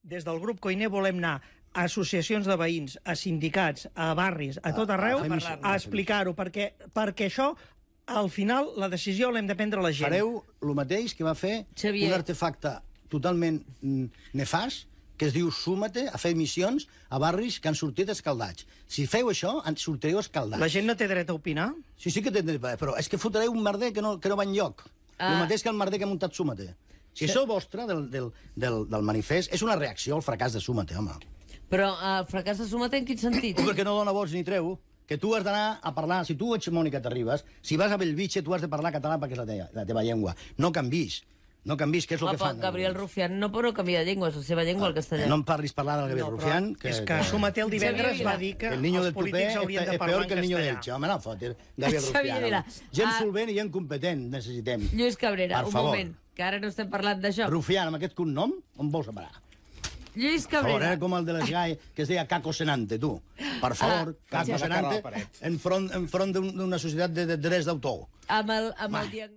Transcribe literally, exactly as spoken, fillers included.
Des del grup Koiné volem anar a associacions de veïns, a sindicats, a barris, a tot arreu, a- a, a- a explicar-ho, perquè, perquè això, al final, la decisió l'hem de prendre la gent. Fareu el mateix que va fer Xavier. un artefacte totalment mm, nefast, que es diu Súmate, a fer missions a barris que han sortit escaldats. Si feu això, en sortireu escaldats. La gent no té dret a opinar? Sí, sí que té dret, però és que fotreu un merder que no, que no va enlloc. Ah. El mateix que el merder que ha muntat Súmate. Si això vostre, del, del, del, del manifest, és una reacció al fracàs de Súmate, home. Però el fracàs de Súmate en quin sentit? Perquè no dona vots ni treu. Que tu has d'anar a parlar... Si tu ets Mònica Terribas, si vas a Bellvitge, tu has de parlar català perquè és la teva, la teva llengua. No canvis. No canvis, que és el Home, que fan. Gabriel Rufián no pot canviar de llengua, és la seva llengua, el castellà. No em parlis parlar del Gabriel No, però Rufián. és que Súmate el divendres Xavier va dir que el niño els del tupé polítics haurien és de parlar peor en que el niño castellà. d'Elche. Home, no fotis. Gabriel Xavier Vila. Rufián. Gent Ah. solvent i gent competent necessitem. Lluís Cabrera, Per un favor. moment, que ara no estem parlant d'això. Rufián, amb aquest cognom, on vols a parar? Lluís Per favor, Cabrera. era com el de les gai que es deia Caco Senante, tu. Per favor, Ah, Caco ja. Senante, enfront, enfront d'un- d'una societat de, de drets d'autor. Amb el, amb el diagnòstic